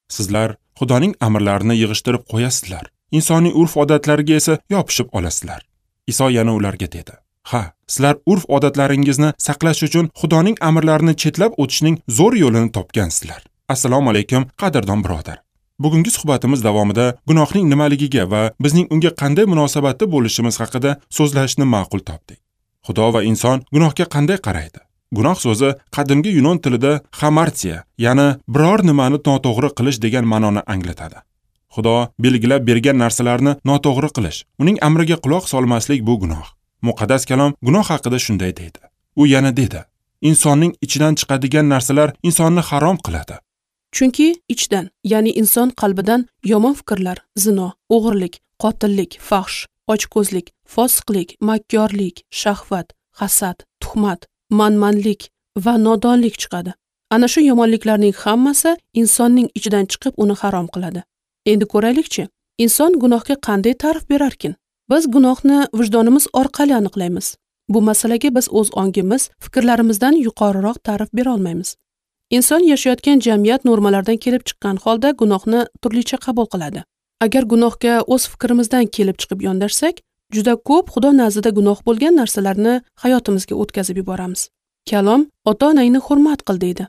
Sizlar Xudoning amrlarini yig'ishtirib qo'yasizlar, insoniy urf-odatlarga esa yopishib olasizlar. Iso yana ularga dedi: Ha, sizlar urf-odatlaringizni saqlash uchun Xudoning amrlarini chetlab o'tishning zo'r yo'lini topgansizlar. Assalomu alaykum, qadrdon birodar. Bugungi suhbatimiz davomida gunohning nimaligiga va bizning unga qanday munosabatda bo'lishimiz haqida so'zlashni ma'qul topdik. Xudo va inson gunohga qanday qaraydi? Gunoh so'zi qadimgi yunon tilida hamartiya, ya'ni biror nimani noto'g'ri qilish degan ma'noni anglatadi. Xudo belgilab bergan narsalarni noto'g'ri qilish, uning amriga quloq solmaslik bu gunoh. Muqaddas kalom gunoh haqida shunday deydi. U yana dedi: Insonning ichidan chiqadigan narsalar insonni harom qiladi. Chunki ichdan, ya'ni inson qalbidan yomon fikrlar, zino, o'g'irlik, qotillik, fahsh, ochko'zlik, fosiqlik, makkorlik, shahvat, hasad, tuhmat, manmanlik va nodonlik chiqadi. Ana shu yomonliklarning hammasi insonning ichidan chiqib uni harom qiladi. Endi ko'raylikchi, inson gunohga qanday ta'rif berarkin? Biz gunohni vijdonimiz orqali aniqlaymiz. Bu masalaga biz o'z ongimiz, fikrlarimizdan yuqoriroq ta'rif bera olmaymiz. Inson yashayotgan jamiyat normalaridan kelib chiqqan holda gunohni turlicha qabul qiladi. Agar gunohga o'z fikrimizdan kelib chiqib yondashsak, juda ko'p Xudo nazdida gunoh bo'lgan narsalarni hayotimizga o'tkazib yuboramiz. Kalom ota-onangni hurmat qil deydi.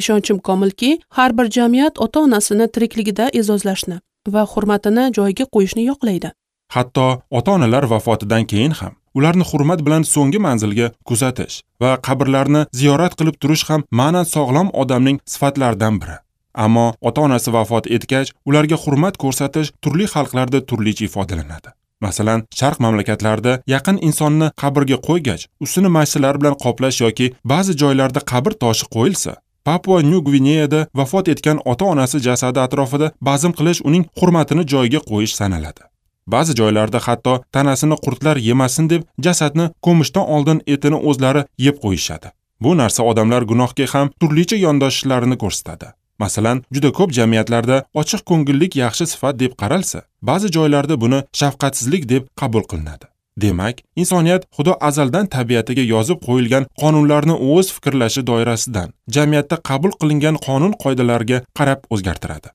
Ishonchim komilki, har bir jamiyat ota-onasini tirikligida e'zozlashni va hurmatini joyiga qo'yishni yoqlaydi. Hatto ota-onalar vafotidan keyin ham ularni hurmat bilan so'nggi manzilga kuzatish va qabrlarni ziyorat qilib turish ham ma'nan sog'lom odamning sifatlaridan biri. Ammo ota-onasi vafot etgach, ularga hurmat ko'rsatish turli xalqlarda turlicha ifodalanadi. Masalan, sharq mamlakatlarida yaqin insonni qabrga qo'ygach, ustini mashinalar bilan qoplash yoki ba'zi joylarda qabr toshi qo'yilsa, Papua New Gvineyada vafot etgan ota-onasi jasadi atrofida bazm qilish uning hurmatini joyiga qo'yish sanaladi. Ba'zi joylarda hatto tanasini qurtlar yemasin deb jasadni ko'mishdan oldin etini o'zlari yeb qo'yishadi. Bu narsa odamlar gunohga ham turlicha yondashishlarini ko'rsatadi. Masalan, juda ko'p jamiyatlarda ochiq ko'ngillik yaxshi sifat deb qaralsa, ba'zi joylarda buni shafqatsizlik deb qabul qilinadi. Demak, insoniyat Xudo azaldan tabiatiga yozib qo'yilgan qonunlarni o'z fikrlashi doirasidan jamiyatda qabul qilingan qonun qoidalarga qarab o'zgartiradi.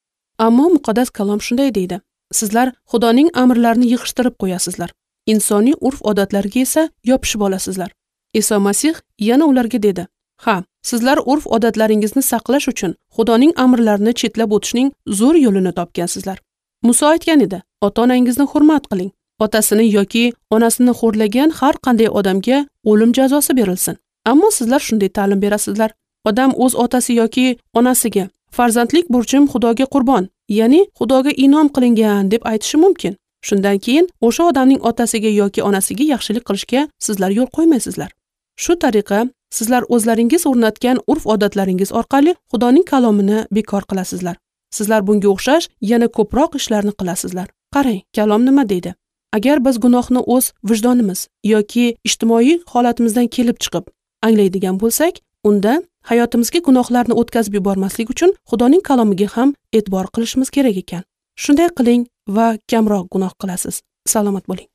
Ammo muqaddas kalom shunday deydi: Sizlar Xudoning amrlarini yig'ishtirib qo'yasizlar, insoniy urf-odatlarga esa yopishib olasizlar. Iso Masih yana ularga dedi: Ha, sizlar urf-odatlaringizni saqlash uchun Xudoning amrlarini chetlab o'tishning zo'r yo'lini topgansizlar. Muso aytgan edi: Ota-onangizni hurmat qiling. Otasini yoki onasini xo'rlagan har qanday odamga o'lim jazosi berilsin. Ammo sizlar shunday ta'lim berasizlar: Odam o'z otasi yoki onasiga farzandlik burchim Xudoga qurbon, ya'ni Xudoga inom qilingan deb aytishi mumkin. Shundan keyin o'sha odamning otasiga yoki onasiga yaxshilik qilishga sizlar yo'l qo'ymaysizlar. Shu tariqa sizlar o'zlaringiz o'rnatgan urf-odatlaringiz orqali Xudoning kalomini bekor qilasizlar. Sizlar bunga o'xshash yana ko'proq ishlarni qilasizlar. Qarang, kalom nima deydi? Agar biz gunohni o'z vijdonimiz yoki ijtimoiy holatimizdan kelib chiqib anglaydigan bo'lsak, unda hayotimizga gunohlarni o'tkazib yubormaslik uchun Xudoning kalomiga ham e'tibor qilishimiz kerak ekan. Shunday qiling va kamroq gunoh qilasiz. Salomat bo'ling.